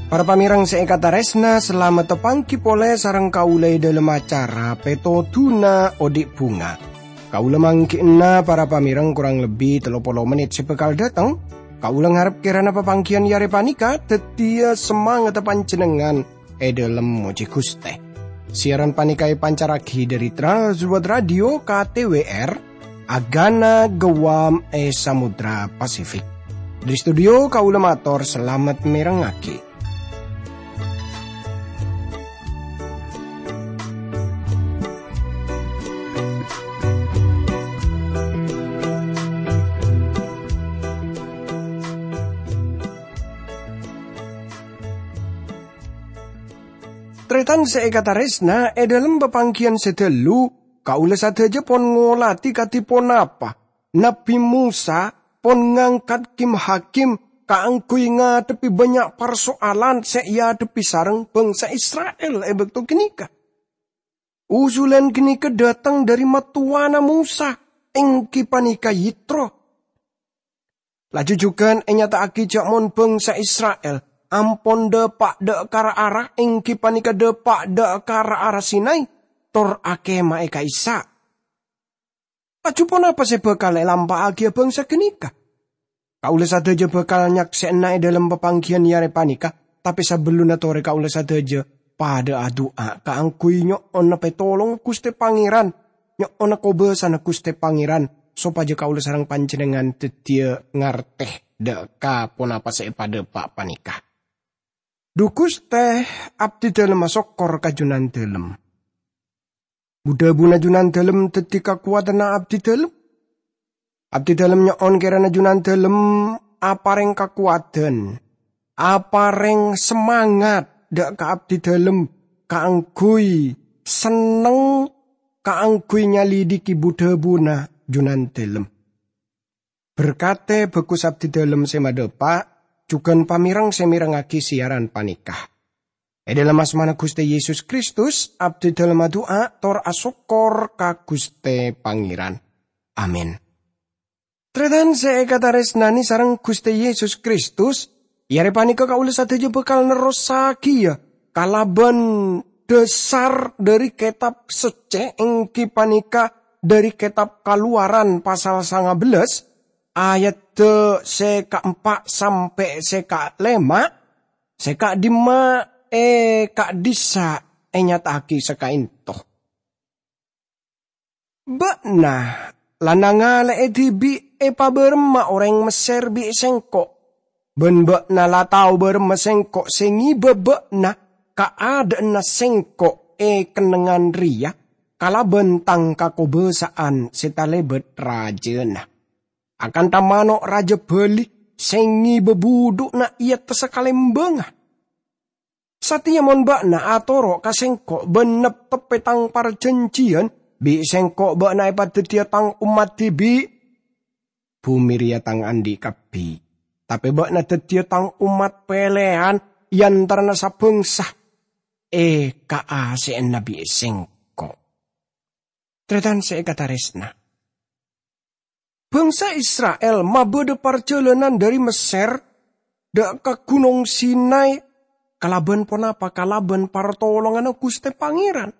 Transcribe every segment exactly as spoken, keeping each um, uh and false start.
Para pamèrèng sè èkatarèsna, salamet tapangghi polè sareng kaulâ è dhâlem acara Pètodhuna Odi' Bhunga. Kaulâ mangghi'na para pamèrèng korang lebbi tello polo mennit sè bhâkal dâteng. Kaulâ ngarep kèrana papangghiyân è arè panèka dhâddhiyâ samangatta panjhennengngan è dhâlem mojhi Ghustè. Siaran panèka èpancarraghi dhâri Trans World Radio K T W R, Agana Guam è Samudra Pasifik. Dhâri studio kaulâ mator salamet mèrengngaghi. Tarètan sè èkatarèsna, è dhâlem papangghiyân sè dhâllu, kaulâ sadhâjâ pon ngolatè kadhi ponapa Nabbhi Mosa pon ngangkat kim-hakim kaangghuy ngadhebbhi bânnya' parsoalan sè èadhebbhi sareng bhângsa Isra'il è bâkto ghânèka. Usulan ghânèka dâteng dhâri mattowana Mosa, èngghi panèka Yitro. Laju jhughân ènyata'aghi jhâ' mon bhângsa Isra'il ampon dâpa' dâ' ka ra-ara, èngghi panèka dâpa' dâ' ka ra-ara Sinai, tor akèmaè ka'issa'. Laju ponapa sè bhâkal èlampa'aghiyâ bhângsa ghânèka? Kaulâ sadhâjâ bhâkal nyaksè'ana è dhâlem papangghiyân è arè panèka, tapè sabellunna torè kaulâ sadhâjâ padâ adu'a kaangghuy nyo'ona pètolongnga Ghustè Pangèran, nyo'ona kobâsana Ghustè Pangèran, sopajâ kaulâ sareng panjhennengngan dhâddhiyâ ngartè dâ' ka ponapa sè èpadâpa' panèka. Dhu Ghustè, abdhi dhâlem asokkor ka Jhunandhâlem. Bu-dhâbuna Jhunandhâlem dhâddhi kakowadhânna abdhi dhâlem. Abdhi dhâlem nyo'on kèrana Jhunandhâlem aparèng kakowadhân, aparèng samangat dâ' ka abdhi dhâlem kaangghuy senneng kaangghuy nyalidhiki bu-dhâbuna Jhunandhâlem. Berkadhi bhâghus abdhi dhâlem sè madhâpa', jhughân pamèrèng sè mèrengngaghi siaran panèka. È dhâlem asmana Ghustè Yesus Kristus, abdhi dhâlem adu'a tor asokkor ka Ghustè Pangèran. Amin. Tarètan sè èkatarèsnanè sareng Ghustè Yesus Kristus, è arè panèka kaulâ sadhâjâ bhâkal nerrossaghiyâ kalabân dhâsar dhâri Kètab Soccè, èngghi panèka dhâri Kètab Kalowaran pasal sanga bellâs, ayadda sè kaempa' sampè' sè kalèma', sè ka'dimma è ka'dissa' ènyata'aghi sakaènto. Bâ'na la nangalè'è dhibi' èpabârâmma orèng Messèr bi' Sèngko', bân bâ'na la tao bârâmma Sèngko' sè ngibâ bâ'na ka adâ'na Sèngko' è kennengngan rèya kalabân Tang kakobâsa'an sè talèbât rajâna, akantha mano' rajâ bhâli sè ngibâ budhu'na è attassa kalèmbângnga. Satèya mon bâ'na atoro' ka Sèngko' bân neptebbhi Tang parjhânjhiyân, bi' Sèngko' bâ'na èpadhâddhiyâ Tang ommat dhibi'. Bhumè rèya Tang andi' kabbhi, tapè bâ'na dhâddhiyâ Tang ommat pèlèyan è antarana sabângsa, è kaasè'na bi' Sèngko'. Tarètan sè èkatarèsna. Bângsa Isra'il mabâdâ parjhâlânan dhâri Messèr dâ' ka Ghunong Sinai kalabân ponapa? Kalabân partolonganna Ghustè Pangèran.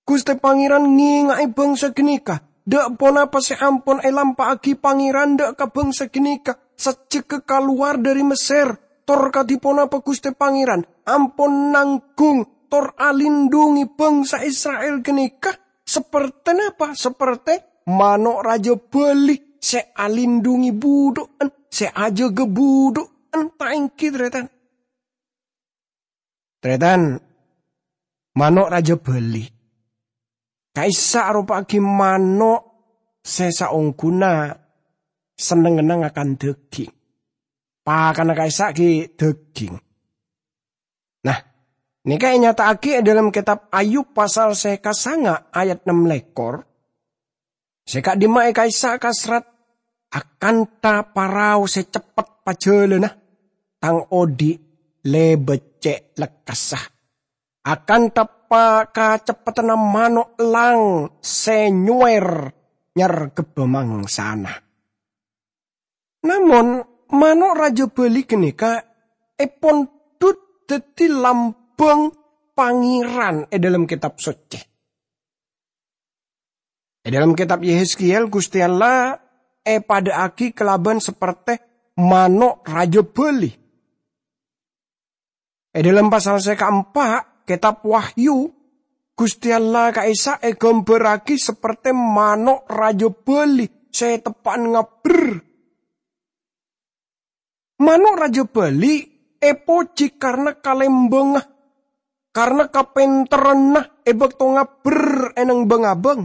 Ghustè Pangèran ngènga'è bângsa ghânèka dâ' ponapa sè ampon èlampa'aghi Pangèran dâ' ka bângsa ghânèka sajjhegghâ kalowar dhâri Messèr, tor kadhi ponapa Ghustè Pangèran ampon nangghung tor alindhungi bângsa Isra'il ghânèka. Sapertè napa? Sapertè mano' rajâ bhâli sè alindhungi budhu'en, sè ajâgâ budhu'en, ta' èngghi, tarètan? Tarètan, mano' rajâ bhâli. Ka'issa' aropa'aghi mano' sè saongghuna sennengnganna ngakan dhâghing. Pakanna ka'issa' ghi' dhâghing. Nah, nèka ènyata'aghi è dhâlem kètab Ayub pasal sè kasanga ayat nem lèkor. Sè ka'dimma è ka'issa' kasrat akantha parao sè ceppet pajhâlânna, tang odi' lèbât cè' lekkassa. akantha pa-, kaceppettanna mano' lang sè nyower nyarghebbhâ mangsana. Namong, mano' rajâ bhâli ghânèka èpondhut dhâddhi lambâng Pangèran è dhâlem Kètab Soccè. È dhâlem Kètab Yehezkiel, Ghustè Allah èpadhâ'aghi kalabân sapertè mano' rajâ bhâli. È dhâlem pasal sè kaempa' Kètab Wahyu, Ghustè Allah ka'issa' èghâmbhârraghi sapertè mano' rajâ bhâli sè teppa'an ngabbher. Mano' rajâ bhâli èpojhi karna kalembângnga, karna kapènterranna è bâkto ngabbher è neng bhâng-abâng.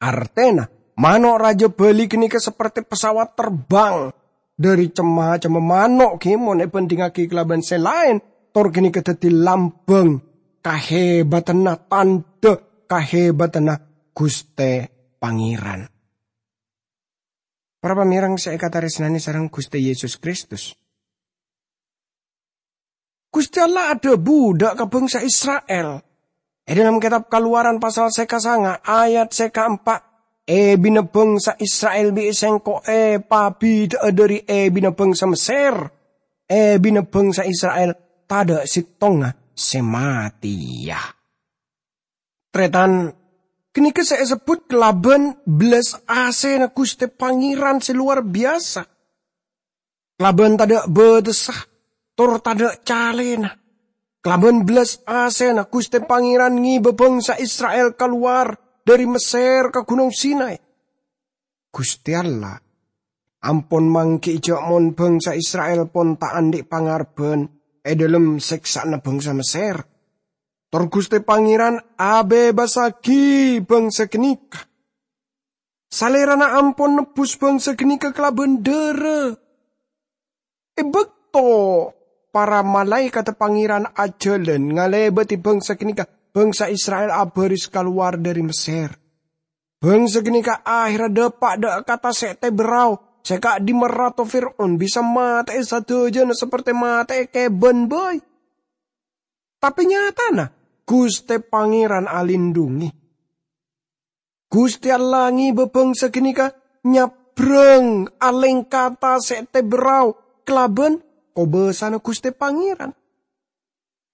Artèna, mano' rajâ bhâli ghânèka sapertè pesawat terbang. Dhâri cem-macemma mano' ghi mon èbhândhingngaghi kalabân sè laèn, tor ghânèka dhâddhi lambâng kahèbhâdhânna, tandhâ kahèbhâdhânna Ghustè Pangèran. Para pamèreng sè èkatarèsnanè sareng Ghustè Yesus Kristus, Ghustè Allah adhâbu dâ' ka bhângsa Isra'il. È dhâlem Kètab Kalowaran pasal sè kasanga ayat sè kaempa', "Èbina bhângsa Isra'il bi' Sèngko' èpabidhâ'â dhâri èbina bhângsa Messèr. Èbina bhângsa Isra'il tadâ' sèttongnga sè matèya." Tarètan, ghânèka sè èsebbhut kalabân bellas asèna Ghustè Pangèran sè lowar biyasa. Kalabân tadâ' bâtessa, tor tadâ' calèna. Kalabân bellas asèna Ghustè Pangèran ngèbâ bhângsa Isra'il kalowar dhâri Messèr ka Ghunong Sinai. Ghustè Allah ampon mangghi'i jhâ' mon bhângsa Isra'il pon ta' andi' pangarebbhân è dhâlem sèksa'anna bhângsa Messèr. Tor Ghustè Pangèran abhebbassaghi bhângsa ghânèka. Salèrana ampon nebbhus bhângsa ghânèka kalabân dhârâ. È bâkto para malaèkatta Pangèran ajhâlân ngalèbâdhi bhângsa ghânèka, bhângsa Isra'il abhâris kalowar dhâri Messèr. Bhângsa ghânèka ahèrra dâpa' dâ' ka tasè' tèbârrao sè ka'dimma Rato Fir'aun bisa matè'è sadhâjâna sapertè matè'è kèbân bhâi. Tapè nyatana, Ghustè Pangèran alindhungè. Ghustè Allah ngèbâ bhângsa ghânèka nyabrâng alèngka tasè' tèbârrao kalabân kobâsana Ghustè Pangèran.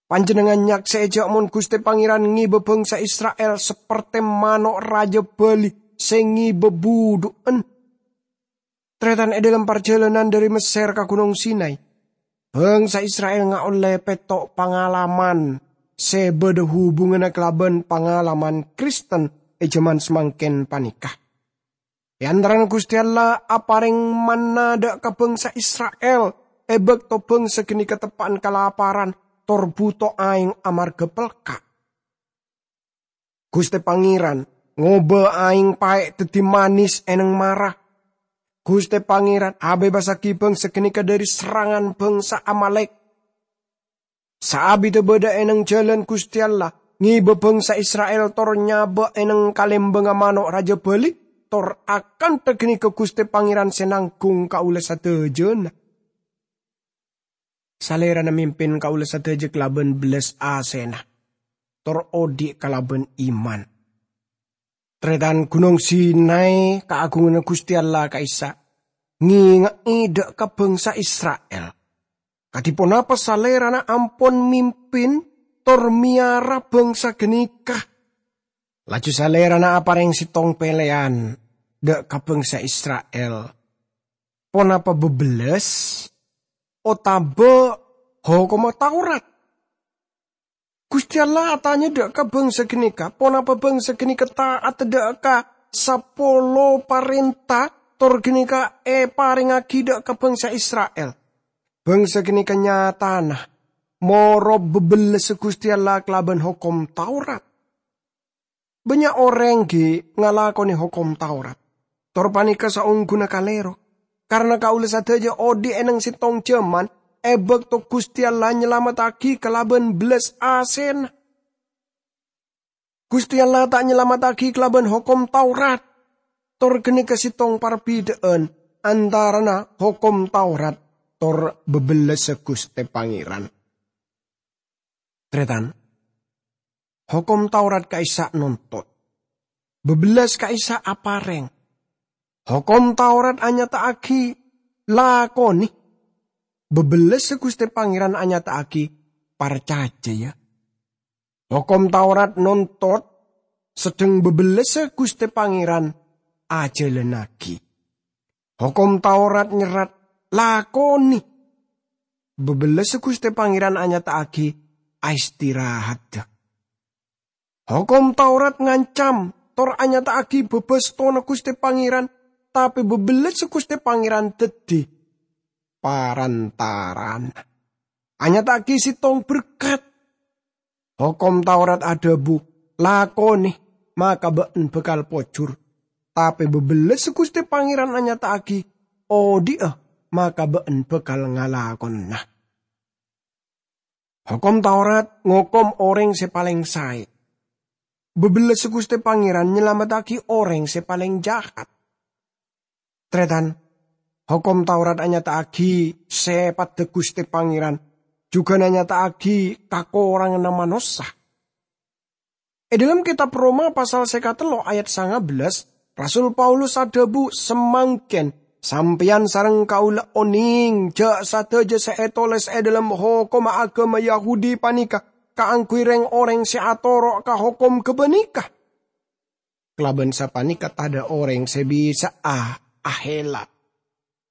Panjhennengngan nyaksè'è jhâ' mon Ghustè Pangèran ngèbâ bhângsa Isra'il sapertè mano' rajâ bhâli sè ngèbâ budhu'ân. Tarètan, è dhâlem parjhâlânan dhâri Messèr ka Ghunong Sinai, bhângsa Isra'il ngaollè pètto' pangalaman sè bâdâ hubunganna kalabân pangalaman Kristen è jhâman samangkèn panèka. È antarana Ghustè Allah aparèng manna dâ' ka bhângsa Isra'il è bâkto bhângsa ghânèka teppa'an kalaparan tor bhuto aèng amarghâ pelka'. Ghustè Pangèran ngobâ aèng paè' dhâddhi manis è neng mara. Ghustè Pangèran abhebbassaghi bhângsa ghânèka dhâri serrangan bhângsa Amalèk. Saabiddhâ bâdâ è neng jhâlân Ghustè Allah, ngèbâ bhângsa Isra'il tor nyabâ' è neng kalèmbângnga mano' rajâ bhâli, tor akantha ghânèka Ghustè Pangèran sè nangghung kaulâ sadhâjâna. Salèrana mimpin kaulâ sadhâjâ kalabân bellas asèna, tor odi' kalabân iman. Tarètan, Ghunong Sinai kaagunganna Ghustè Allah ka'issa' ngènga'è dâ' ka bhângsa Isra'il kadhi ponapa Salèrana ampon mimpin tor mèyara bhângsa ghânèka. Laju Salèrana aparèng sèttong pèlèyan dâ' ka bhângsa Isra'il, ponapa bâbellas otabâ Hokomma Taurat? Ghustè Allah atanya dâ' ka bhângsa ghânèka, ponapa bhângsa ghânèka ta'at dâ' ka sapolo parènta tor ghânèka èparèngngaghi dâ' ka bhângsa Isra'il? Bhângsa ghânèka nyatana moro' bâbellassa Ghustè Allah kalabân Hokom Taurat. Bânnya' orèng ghi' ngalakonè Hokom Taurat, tor panèka saongghuna kalèro, karana kaulâ sadhâjâ odi' è neng sèttong jhâman è bâkto Ghustè Allah nyalamettaghi kalabân bellas asèna. Ghustè Allah ta' nyalamettaghi kalabân Hokom Taurat, tor ghânèka sèttong parbidhâ'ân antarana Hokom Taurat tor bâbellassa Ghustè Pangèran. Tarètan, Hokom Taurat ka'issa' nontot. Bâbellâs ka'issa' aparèng. Hokom Taurat anyata'aghi lakonè. Bâbellâssa Ghustè Pangèran anyata'aghi parcajâ, yâ. Hokom Taurat nontot, sedheng bâbellâssa Ghustè Pangèran ajhâlânnaghi. Hokom Taurat nyerrat, lakonè. Bâbellâssa Ghustè Pangèran anyata'aghi aistirahaddhâ. Hokom Taurat ngancam, tor anyata'aghi bâbâstona Ghustè Pangèran, tapè bâbellâssa Ghustè Pangèran dhâddhi parantarana. Anyata'aghi sèttong berkat. Hokom Taurat adhâbu, lakonè, maka bâ'na bhâkal pojhur. Tapè bâbellâssa Ghustè Pangèran anyata'aghi, odi'â, maka bâ'na bhâkal ngalakona. Hokom Taurat ngokom orèng sè palèng saè. Bâbellâssa Ghustè Pangèran nyalamettaghi orèng sè palèng jahat. Tarètan, Hokom Taurat anyata'aghi sèpaddhâ Ghustè Pangèran, jhughân anyata'aghi kakoranganna manossa. È dhâlem Kètab Roma pasal sè katello' ayat sanga bellâs, Rasul Paulus adhâbu, "Samangkèn sampèyan sareng kaulâ onèng jâ' sadhâjâ sè ètolès è dhâlem hokomma aghâma Yahudi panèka kaangghuy rèng-orèng sè atoro' ka hokom ghâpanèka. Kalabân sapanèka tadhâ' orèng sè bisa'a ahèla,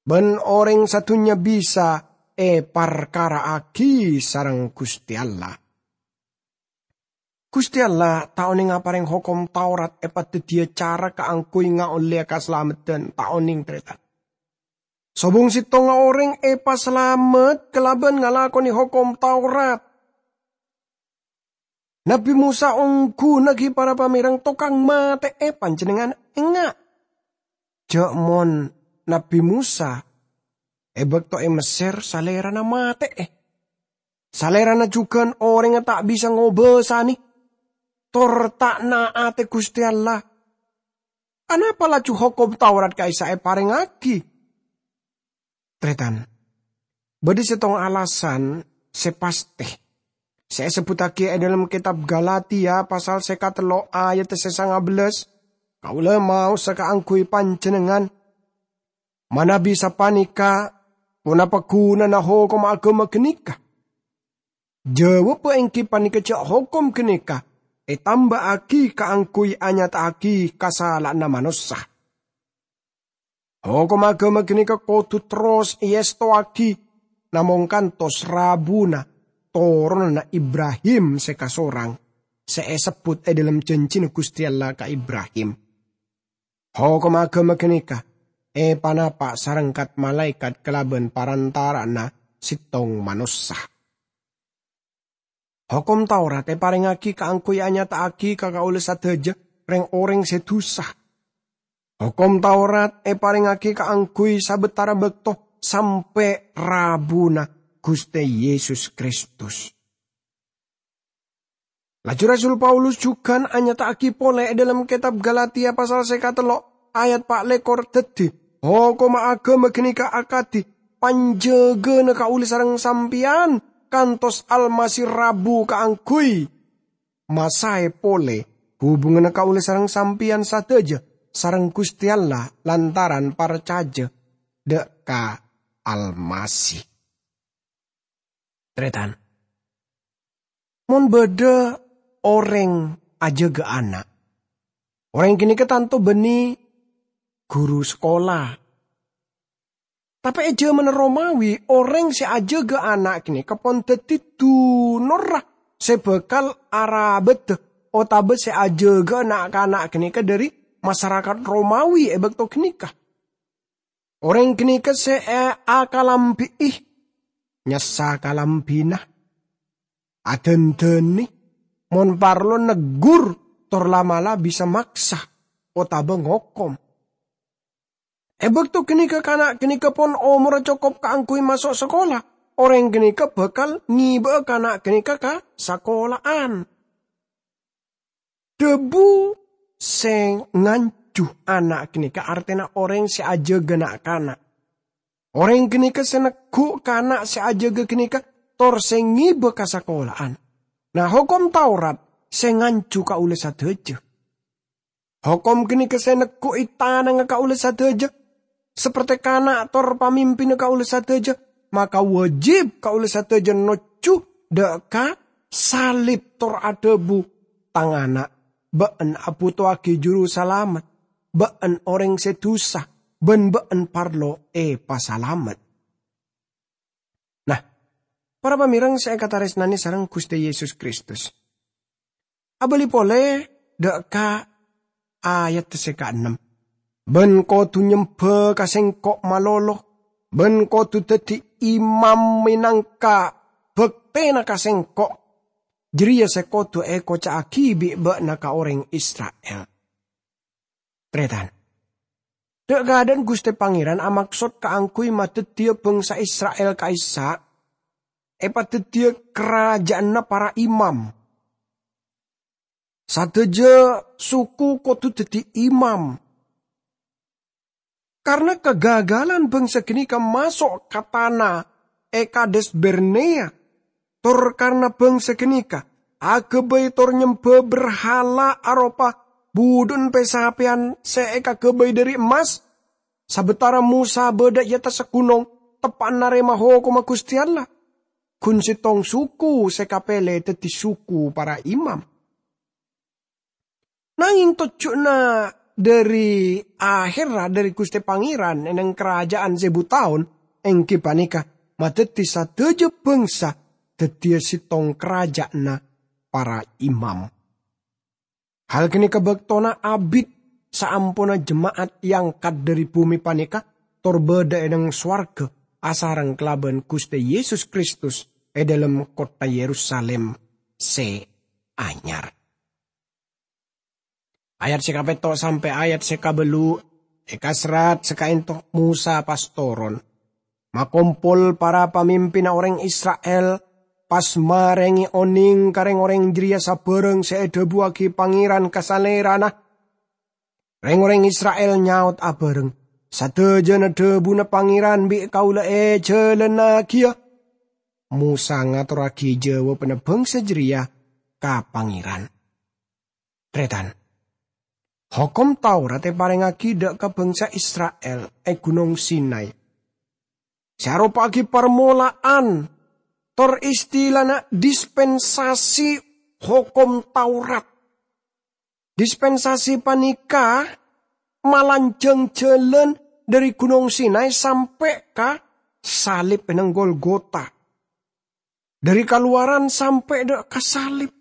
bân orèng sadhunnya bisa èparkara'aghi sareng Ghustè Allah." Ghustè Allah ta' onèng aparèng Hokom Taurat èpadhâddhiyâ cara kaangghuy ngaollèya kasalameddhân, ta' onèng, tarètan. Sobung sèttongnga orèng èpasalamet kalabân ngalakonè Hokom Taurat. Nabbhi Mosa ongghuna ghi' para pamèreng tokang matè'è panjhennengngan, enga'? Jâ' mon Nabbhi Mosa è bâkto è Messèr salèrana matè'è. Salèrana jhughân orèngnga ta' bisa ngobâsanè, tor ta' na'atè Ghustè Allah. Anapa laju Hokom Taurat ka'issa' èparèngngaghi? Tarètan, bâdâ sèttong alasan sè pastè sè èsebbhuttaghi è dhâlem Kètab Galatia pasal sè katello' ayat sè sanga bellâs, "Kaulâ maosa kaangghuy panjhennengngan, manabi sapanèka ponapa ghunana hokomma aghâma ghânèka? Jâwâbbhâ èngghi panèka jâ' hokom ghânèka ètambâ'âghi kaangghuy anyata'aghi kasala'anna manossa. Hokomma aghâma ghânèka kodhu terros èèstowaghi, namong kantos rabuna toronanna Ibrahim sè kasorang, sè èsebbhut è dhâlem jhânjhina Ghustè Allah ka Ibrahim. Hokomma aghâma ghânèka èpanapa' sareng kat-malaèkat kalabân parantara'anna sèttong manossa." Hokom Taurat èparèngngaghi kaangghuy anyata'aghi ka kaulâ sadhâjâ rèng-orèng sè dhusa. Hokom Taurat èparèngngaghi kaangghuy sabâtara bâkto sampè' rabuna Ghustè Yesus Kristus. Laju Rasul Paulus jhughân anyata'aghi polè è dhâlem Kètab Galatia pasal sè katello' ayat pa' lèkor dhâddhi, hokomma aghâma ghânèka akadhi panjâgâna kaulâ sareng sampèyan kantos Almasih rabu kaangghuy masaè polè hubunganna kaulâ sareng sampèyan sadhâjâ sareng Ghustè Allah lantaran parcajâ dâ' ka Almasih. Tarètan, mon bâdâ orèng ajâgâ ana', orèng ghânèka tanto bânnè ghuru sakola. Tapè è jhâmanna Romawi, orèng sè ajâgâ ana' ghânèka pon dhâddhi dunorra sè bhâkal arabâdhâ otabâ sè ajâgâ na'-kana' ghânèka dhâri masarakat Romawi è bâkto ghânèka. Orèng ghânèka sè è-, akalambi'i, nyassa kalambhina, adhândhânè, mon parlo neggur, tor la'-mala' bisa maksa otabâ ngokom. È bâkto ghânèka kana' ghânèka pon omorra cokop kaangghuy maso' sakola. Orèng ghânèka bhâkal ngibâ'â kana' ghânèka ka sakola'an. Dhâbu sè nganjhu ana' ghânèka artèna orèng sè ajâgâ na'-kana'. Orèng ghânèka sè neggu' kana' sè ajâgâ ghânèka tor sè ngibâ ka sakola'an. Na, Hokom Taurat sè nganju kaulâ sadhâjâ. Hokom ghânèka sè neggu'i tanangnga kaulâ sadhâjâ, saperte kana' tor pamimpinna kaulâ sadhâjâ, maka wâjib kaulâ sadhâjâ nojjhu dâ' ka salib tor adhâbu, "Tang ana', bâ'na abhutowaghi Jurusalamet, bâ'na orèng sè dusa, bân bâ'na parlo èpasalamet." Nah, para pamèreng sè èkatarèsnanè sareng Ghustè Yesus Kristus. Abâli polè dâ' ka ayat sè kaennem, "Bân kodhu nyembhâ ka Sèngko' malolo, bân kodhu dhâddhi imam mènangka bhâktèna ka Sèngko'. Jârèya sè kodhu èkoca'aghi bi' bâ'na ka orèng Isra'il." Tarètan. Dâ' kaadâ'ân Ghustè Pangèran amaksod kaangghuy madhâddhiyâ bhângsa Isra'il ka'issa' èpadhâddhiyâ karajâ'ânna para imam. Sadhâjâ suku kodhu dhâddhi imam. Karna kagagalan bhângsa ghânèka maso' ka tana è Kades Barnea, tor karna bhângsa ghânèka aghâbây tor nyembhâ berhala aropa budhu'na pè-sapèyan sè èkaghâbây dhâri emmas, sabâtara Mosa bâdâ è attassa ghunong teppa'na narèma hokomma Ghustè Allah, ghun sèttong suku sè kapèlè dhâddhi suku para imam. Nangèng tojjhuna dhâri ahèrra dhâri Ghustè Pangèran è neng karajâ'ân sèbu taon, èngghi panèka madhâddhi sadhâjâ bhângsa dhâddhiyâ sèttong karajâ'ânna para imam. Hal ghânèka bâktona abit saamponna jema'at èangkat dhâri bhumè panèka tor bâdâ è neng sowarghâ asareng kalabân Ghustè Yesus Kristus è dhâlem kottha Yerusalim sè anyar. Ayat sè kapètto' sampè' ayat sè kabâllu' èkaserrat sakaènto Mosa pas toron. Makompol para pamimpinna orèng Isra'il, pas marèngè onèng ka rèng-orèng jârèya sabârâng sè èdhâbuwaghi Pangèran ka salèrana. Rèng-orèng Isra'il nyaot abârâng, "Sadhâjâna dhâbuna Pangèran bi' kaulâ èjhâlânaghiyâ." Mosa ngatorraghi jâwâbbhânna bhângsa jârèya ka Pangèran. Tarètan. Hokom Taurat èparèngaghi dâ' ka bhângsa Isra'il è Ghunong Sinai. Sè aropa'aghi parmola'an tor istilana dispensasi Hokom Taurat. Dispensasi panèka malanjhâng jhâlân dhâri Ghunong Sinai sampè' ka salib è neng Golgota. Dhâri kalowaran sampè' dâ' ka salib.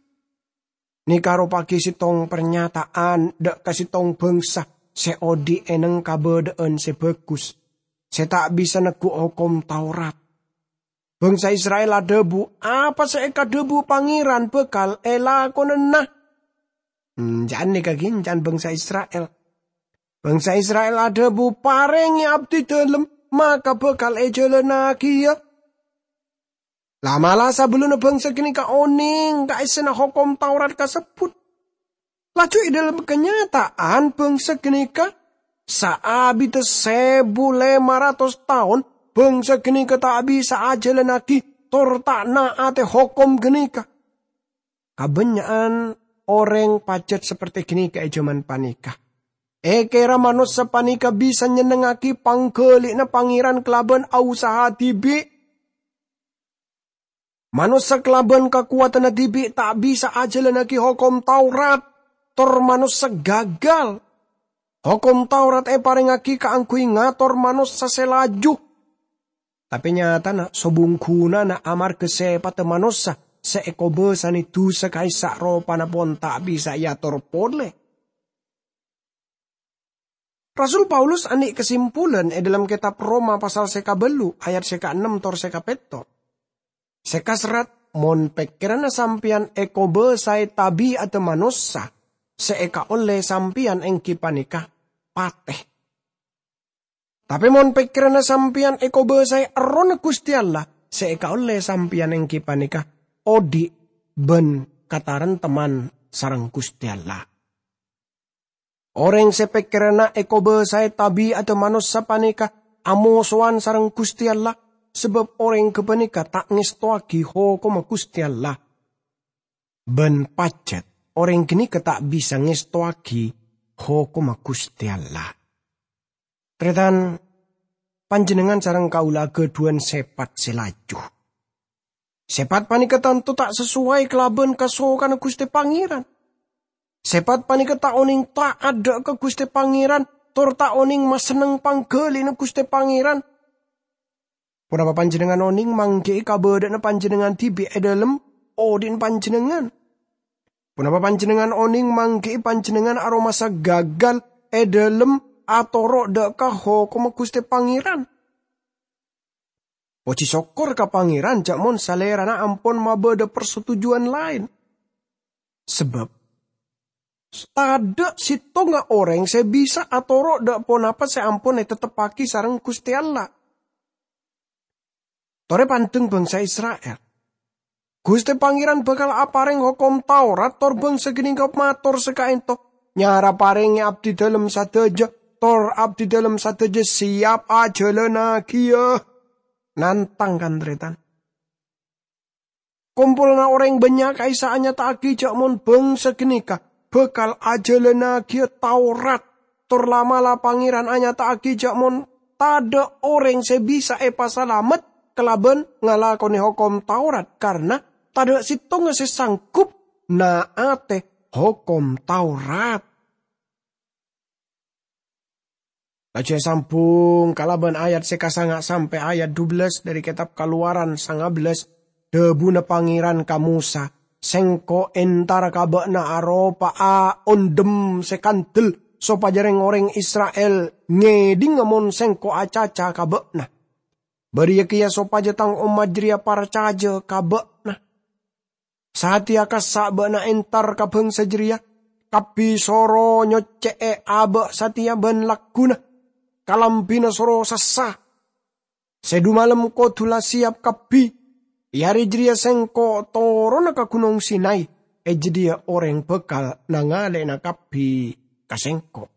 Nèka aropa'aghi sèttong parnyata'an dâ' ka sèttong bhângsa sè odi' è neng kabâdâ'ân sè bhâghus, sè ta' bisa neggu' Hokom Taurat. Bhângsa Isra'il adhâbu, "Apa sè èkadhâbu Pangèran bhâkal èlakonana." Hmm, jhâ' nèka ghi' jhâ' bhângsa Isra'il. Bhângsa Isra'il adhâbu, "Parèngè abdhi dhâlem, maka bhâkal èjhâlânaghiyâ." La'-mala' sabellunna bhângsa ghânèka onèng ka essèna Hokom Taurat kasebbhut. Laju è dhâlem kanyata'an bhângsa ghânèka, saabiddhâ sèbu lèma ratos taon, bhângsa ghânèka ta' bisa ajhâlânnaghi tor ta' na'atè hokom ghânèka. Kabânnya'an orèng pajhât saperte ghânèka è jhâman panèka. Èkèra manossa panèka bisa nyennengngaghi pangghâli'na Pangèran kalabân ausaha dhibi'. Manossa kalabân kakowadhânna dhibi' ta' bisa ajhâlânnaghi Hokom Taurat, tor manossa gagal. Hokom Taurat èparèngngaghi kaangghuy ngator manossa sè laju. Tapè nyatana sobung ghunana amarghâ sèpatta manossa sè èkobâsanè dhusa ka'issa' ropana pon ta' bisa èator polè. Rasul Paulus andhi' kasimpulan è dhâlem kètab Roma pasal sè kabâllu' ayat sè kaennem tor sè kapètto'. Sè kaserrat, "Mon pèkkèranna sampèyan èkobâsaè tabi'adda manossa, sè èkaollè sampèyan èngghi panèka patè. Tapè mon pèkkèranna sampèyan èkobâsaè Errohna Ghustè Allah, sè èkaollè sampèyan èngghi panèka odi' bân katarèmteman sareng Ghustè Allah." Orèng sè pèkkèranna èkobâsaè tabi'adda manossa panèka amosowan sareng Ghustè Allah, sabâb orèng ghâpanèka ta' ngèstowaghi hokomma Ghustè Allah. Bân pajhât orèng ghânèka ta' bisa ngèstowaghi hokomma Ghustè Allah. Tarètan, panjhennengngan sareng kaulâ aghâdhuwân sèpat sè laju. Sèpat panèka tanto ta' sasoway kalabân kasokanna Ghustè Pangèran. Sèpat panèka ta' onèng ta'at dhâ' ka Ghustè Pangèran, tor ta' onèng masenneng pangghâli'na Ghustè Pangèran. Ponapa panjhennengngan onèng mangghi'i kabâdâ'ânna panjhennengngan dhibi' è dhâlem odi'na panjhennengngan? Ponapa panjhennengngan onèng mangghi'i panjhennengngan aromasa gagal è dhâlem atoro' dhâ' ka hokomma Ghustè Pangèran? Pojhi sokkor ka Pangèran jhâ' mon Salèrana ampon mabâdâ parsetujuwân laèn. Sabâb tadhâ' sèttonga orèng sè bisa atoro' dhâ' ponapa sè ampon ètetteppaghi sareng Ghustè Allah. Torè pandeng bangsa Isra'il. Ghustè Pangèran bhâkal aparèng hokom Taurat tor bangsa ghânèka mator sè ka'ènto, "Nyara parèngè abdhidhâlem sadhâjâ, tor abdhidhâlem sadhâjâ sèyap ajhâlânnagiyâ." Nantang, kan, tarètan? Kompolanna orèng bânnya' ka'issa' anyata'aghi jhâ' mon bangsa ghânèka bhâkal ajhâlânnagiyâ Taurat, tor la'-mala' Pangèran anyata'aghi jhâ' mon tadhâ' orèng sè bisa èpasalamet kalabân ngalakonè hokom Taurat, karna tadhâ' sèttonga sè sangghup na'atè hokom Taurat. Laju èsambhung kalabân ayat sè kasanga' sampè' ayat dubellâs dhâri Kètab Kalowaran sangabellâs, dhâbuna Pangèran ka Mosa, "Sèngko' èntara ka bâ'na aropa'a ondhem sè kandel, sopajâ rèng-orèng Isra'il ngèdhinga mon Sèngko' acaca ka bâ'na. Bâriyâ kèya sopajâ Tang ommat jârèya parcajâ ka bâ'na." Satèya kassa' bâ'na entar ka bangsa jârèya, kabbhi soro nyoccè'è abâ' satèya bân lagghuna, kalambhina soro sassa. Sè dumalem kodhu la sèyap kabbhi. È arè jârèya sèngko' toronna ka Gunong Sinai, è jâdiyâ orèng bhâkal nangalè'ana kabbhi ka sèngko'.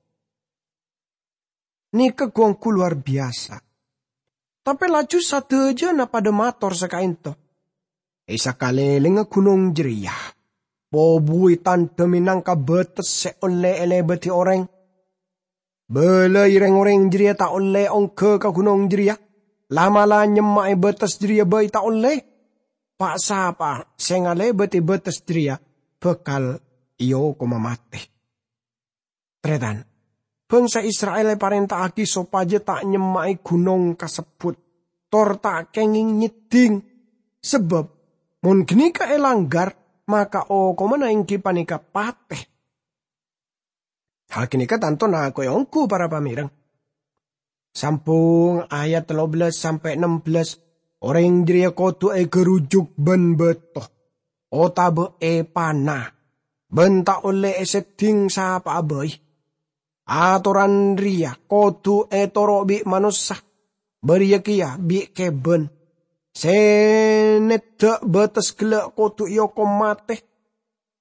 Nèka ghu-ongghu lowar biyasa. Tapè laju sadhâjâna padâ mator sè ka'ènto, "È sakalèlèngnga gunong jârèya, pobuwi tandhâ mènangka bâtes sè ollè èlèbâdhi orèng. Bâlâi rèng-orèng jârèya ta' ollè ongghâ ka gunong jârèya, la'-mala' nyemma'è bâtes jârèya bhâi ta' ollè. Pa'-sapa'a sè ngalèbâdhi bâtes jârèya bhâkal èokoma matè." Tarètan, bangsa Isra'il èparènta'aghi sopajâ ta' nyemma'è gunong kasebbhut, tor ta' kèngèng nyeddhing. Sabâb, mon ghânèka èlanggar, maka okomanna èngghi panèka patè. Hal ghânèka tanto nako'è ongghu para pamèreng. Sambhung ayat tello bellâs sampè' nem bellâs, orèng jârèya kodhu ègarujuk bân bâto, otabâ èpana, bân ta' ollè èseddhing sapa'a bhâi. Atoran rèya kodhu ètoro' bi' manossa, bâriyâ kèya bi' kèbân. Sè neddhâ' bâtes ghellâ' kodhu èokom matè.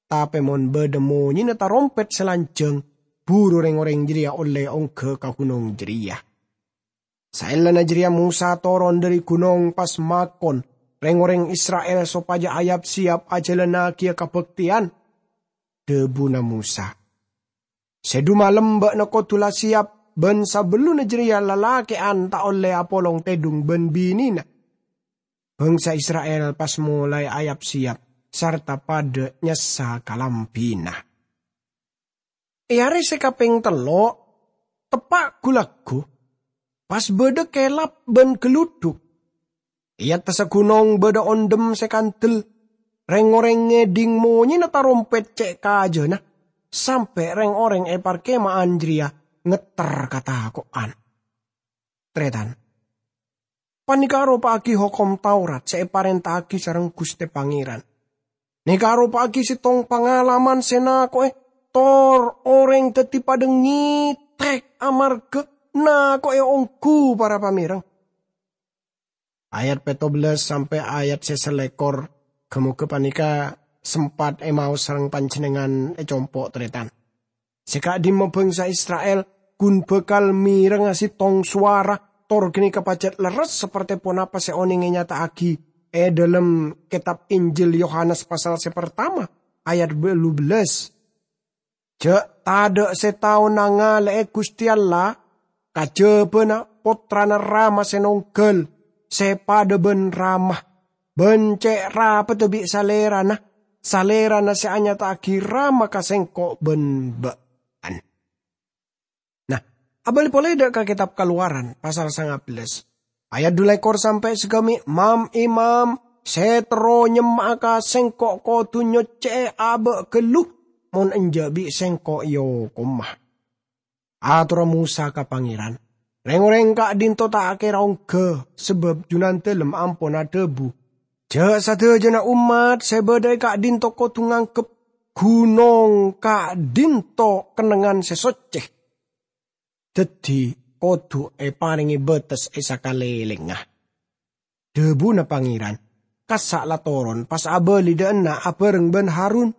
Tapè mon bâdâ monyèna tarompèt sè lanjhâng, buru rèng-orèng jârèya ollè ongghâ ka gunong jârèya. Saellana jârèya Mosa toron dhâri gunong pas makon rèng-orèng Isra'il sopajâ ayap-sèyap ajhâlânnagiyâ kabhâktèyan. Dhâbuna Mosa, "Sè dumalem bâ'na kodhu la sèyap, bân sabellunna jârèya lalakè'an ta' ollè apolong tèdhung bân binèna." Bangsa Isra'il pas molaè ayap-sèyap sarta padâ nyassa kalambhina. È arè sè kapèng tello', teppa' ghu-lagghu, pas bâdâ kèlap bân ghâludhuk. È attassa gunong bâdâ ondhem sè kandel. Rèng-orèng ngèdhing monyèna tarompèt cè' kajâna, sampè' rèng-orèng è parkèma'an jârèya ngetter katako'an. Tarètan, panèka aropa'aghi Hokom Taurat sè èparènta'aghi sareng Ghustè Pangèran. Nèka aropa'aghi sèttong pangalaman sè nako'è, tor orèng dhâddhi padâ ngètèk amarghâ nako'è ongghu para pamèreng. Ayat pètto bellâs sampè' ayat sè salèkor, ghâ-moghâ panèka sempat èmaos sareng panjhennengngan è compo' tarètan. Sè ka'dhimma bhângsa Isra'il ghun bhâkal mèrengnga sèttong sowara, tor ghânèka pajhât lerres saperte ponapa sè onèng ènyata'aghi è dhâlem Kètab Injil Yohanes pasal sè partama, ayat bâllu bellâs. "Jhâ' tadhâ' sè tao nangale'e Guste Allah kajhâbhâna Pottrana Rama sè nongghâl, sè padâ bân Rama, bân ce' rapeddhâ bi' Salerana, Salerana sè anyata'aghi Rama ka sengko' bân bâ'na." Nah, abâli polè dâ' ka Kètab Kalowaran, pasal sanga bellâs, ayat du lèkor sampè' sagâmè', "Mam-imam sè terro nyemma'a ka sengko' kodhu nyoccè'è abâ' ghâllu, mon enjâ' bi' sengko' èokoma." Atorra Mosa ka Pangèran, "Rèng-orèng ka'dinto ta' kèra ongghâ, sabâb Junandâlem ampon adhâbu, 'Jhâ' sadhâjâna ommat sè bâdâ è ka'dinto kodhu nganggep ghunong ka'dinto kennengngan sè soccè.' Dhâddhi, kodhu èparèngè bâtes è sakalèlèngnga." Dhâbuna Pangèran, "Kassa' la toron, pas abâli dâ' enna' abhâreng bân Harun.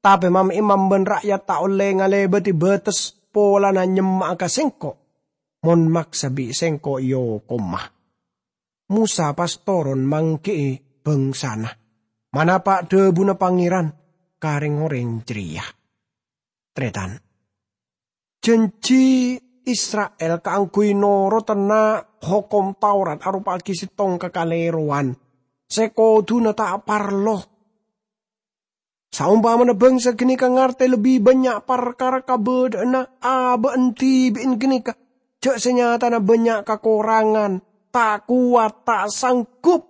Tapè mam-imam bân ra'yat ta' ollè ngalèbâdhi bâtes polana nyemma'a ka sengko', mon maksa bi' sengko' èokoma." Mosa pas toron mangghi'i bângsana, manapa' dhâbuna Pangèran ka rèng-orèng jârèya. Tarètan, janji Isra'il kaangghuy norotana Hokom Taurat aropa'aghi settong kakalèrowan sè kodhuna ta' parlo. Saompamana bangsa ghâneka ngartè lebbi bannya' parkara kabâdâ'ânna abâ'na dhibi'na ghâneka, jhâ' sè nyatana bannya' kakorangan, ta' kowat, ta' sanggup.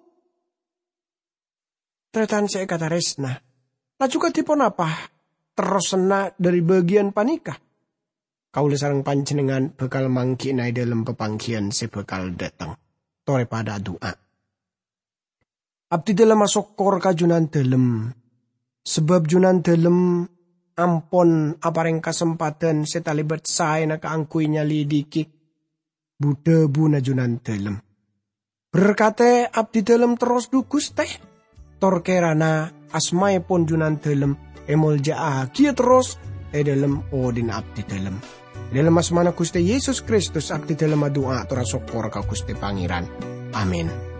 Tarètan sè èkatarèsna, laju kadhi ponapa terrosanna dhâri bâgiyân panèka? Kaulâ sareng panjhennengngan bhâkal mangghi'na è dhâlem papangghiyân sè bhâkal dâteng. Torè padâ adu'a. Abdhidhâlem asokkor ka Junandâlem, sabâb Junandâlem ampon aparèng kasempadhân sè talèbât saèna kaangghuy nyalidiki bu-dhâbuna Junandâlem. Berkatè abdhidhâlem terros, dhu Ghustè, tor kèrana asmaèpon Junandâlem èmolja'aghiyâ terros è dhâlem odhi'na abdhidhâlem. È dhâlem asmana Ghustè Yesus Kristus abdhidhâlem adu'a tor asokkor ka Ghustè Pangèran. Amin.